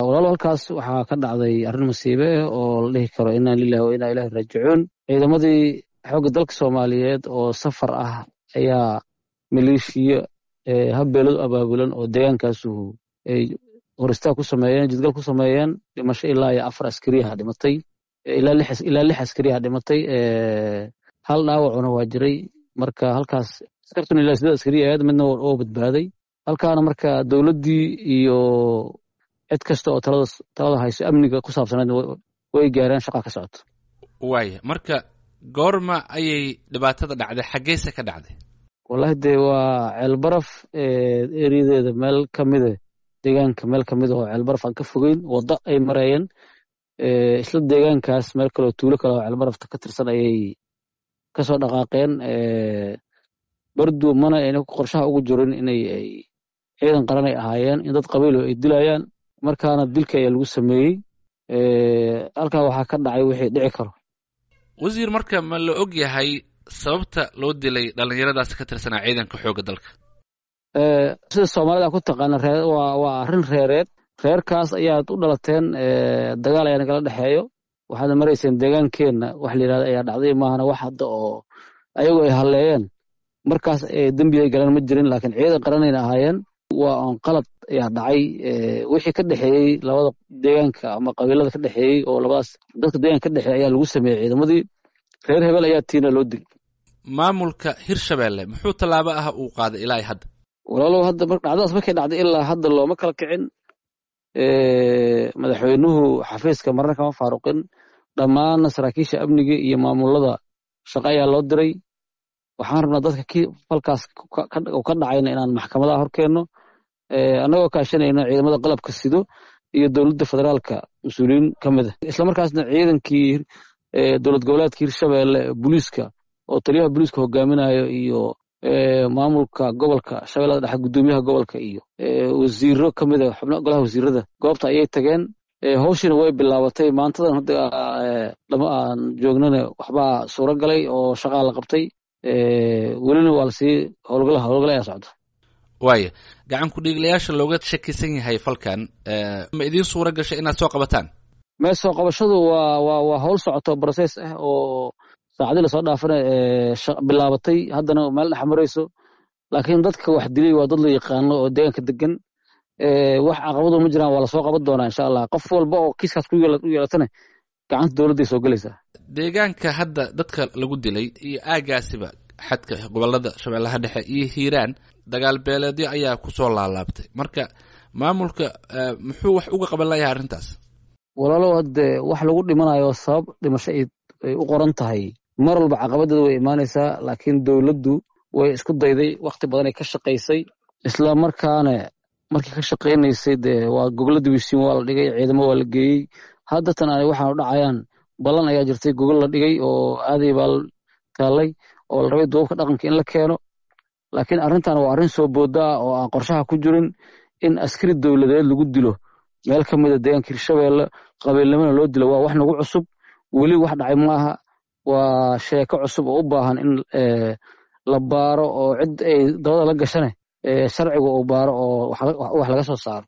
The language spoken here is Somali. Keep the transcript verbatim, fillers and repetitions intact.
Walaalo, halkaas waxaa ka dhacday arrin masiibe ah oo la dhihi karo inaa lilahi wa inaa ilaahi raajicuun. Ciidamadii xoogga dalka Soomaaliyeed oo safar ah ayaa maleeshiya habbeeladu abaabulan oo deegaankaasu ay horistaag ku sameeyeen, jidgal ku sameeyeen. Dhimasho ilaa iyo afar askariyaha dhimatay, ilaa lix askariyaha dhimatay, hal dhaawacuna waa jiray. Marka halkaas askartuna ilaa sideed askariya ahayd, midna oo badbaaday halkaana. Marka dowladdii iyo cid kasta oo talada talada hayso amniga ku saabsanayd way gaareen, shaqa ka socoto. Waaya, marka goorma ayay dhibaatada dhacday, xaggeyse ka dhacday? Wallahi dee waa Ceelbaraf eriyadeeda meel ka mida, deegaanka meel ka mid oo Ceelbaraf aan ka fogeyn, waddo ay mareeyeen. Isla deegaankaas meel kaleo tuulo kale oo Ceelbarafta ka tirsan ayay kasoo dhaqaaqeen. Bardu mana ayna qorshaha ugu jirin inay ay ciidan qaran ay ahaayeen in dad qabiilo ay dilayaan, markaana dilka ayaa lagu sameeyey. Halkaa waxaa ka dhacay wixii dhici karo. Wasiir, marka ma la og yahay sababta loo dilay dhallinyaradaasi ka tirsanaa ciidanka xoogga dalka? Sida Soomaalida ku taqaana, ree waa waa arrin reereed. Reerkaas ayaad u dhalateen, dagaal ayaa nagala dhexeeyo, waxaadna marayseen deegaankeenna, wax la yidhahda ayaa dhacday maahana wax hadda oo ayagu ay halleeyeen markaas dembi ay galeen ma jirin, laakiin ciidan qaranayna ahaayeen. Waa on qalad ayaa dhacay. Wixii ka dhexeeyey labada deegaanka ama qabiilada ka dhexeeyey oo labadaas dadka deegaanka ka dhexeeyey ayaa lagu sameeyey. Ciidamadii reer hebel ayaa tiina loo dilay. Maamulka Hirshabeelle muxuu tallaabo ah uu qaaday ilaa hadda? Walaalow, hadda dhacdadaas markay dhacday ilaa hadda looma kala kicin. Madaxweynuhu xafiiska marna kama faaruqin, dhammaanna saraakiisha amniga iyo maamulada shaqo ayaa loo diray. Waxaan rabnaa dadka ki falkaas ka dhacayna inaan maxkamadaha hor keenno, annagoo kaashanayno ciidamada qalabka sido iyo dowladda federaalka mas-uuliyiin ka mid ah, islamarkaasna ciidankii dowlad goboleedka Hirshabeelle booliiska oo taliyaha booliiska hogaaminayo iyo maamulka gobolka Shabeellada Dhexe, guddoomiyaha gobolka iyo wasiiro ka mid a xubno golaha wasiirada goobta ayay tageen. Hawshiina way bilaabatay maantadan hadda dhama aan joognana. Waxbaa suuro galay oo shaqaa la qabtay, welina waa lasii howlgala, howlgala ayaa socda. Waaya, gacan ku-dhiiglayaasha looga shakisan yahay falkan ma idiin suura gashay inaad soo qabataan? Mee, soo qabashadu waa waa waa howl socoto, process ah oo saacadii lasoo dhaafana bilaabatay, haddana meel dhex marayso. Laakiin dadka wax dilay waa dad la yaqaano oo deegaanka degan, wax caqabado ma jiraan. Waa lasoo qaban doonaa insha Allah. Qof walba oo kiiskaas ku yeelatana gacanta dowladday soo gelaysaa. Deegaanka hadda dadka lagu dilay iyo aagaasiba xadka gobolada Shabeellaha Dhexe iyo Hiiraan dagaal beeleedyo ayaa kusoo laalaabtay. Marka maamulka muxuu wax uga qaban layahay arrintaas? Walaalow, hadde wax lagu dhimanayo sabab dhimasho ay u qoran tahay mar walba caqabadeeda way imaanaysaa, laakiin dowladdu way isku dayday, wakhti badanay ka shaqaysay. Isla markaana markii ka shaqaynaysay dee waa gogolo dibisiin waa la dhigay, ciidamo waa la geeyey. Hadda tan ay waxaan u dhacayaan ballan ayaa jirtay, gogol la dhigay oo aaday baa taallay oo la rabay duubabka dhaqanka in la keeno. Laakiin arrintan waa arrin soo booda ah oo aan qorshaha ku jirin in askari dowladeed lagu dilo meel ka mida deegaanka Hirshabeelle, qabiilnimona loo dilo. Waa wax nagu cusub, weli wax dhacay maaha. Waa sheeko cusub oo u baahan in la baaro oo cid ay dabada la gashane sharciga uu baaro oo wax laga soo saaro.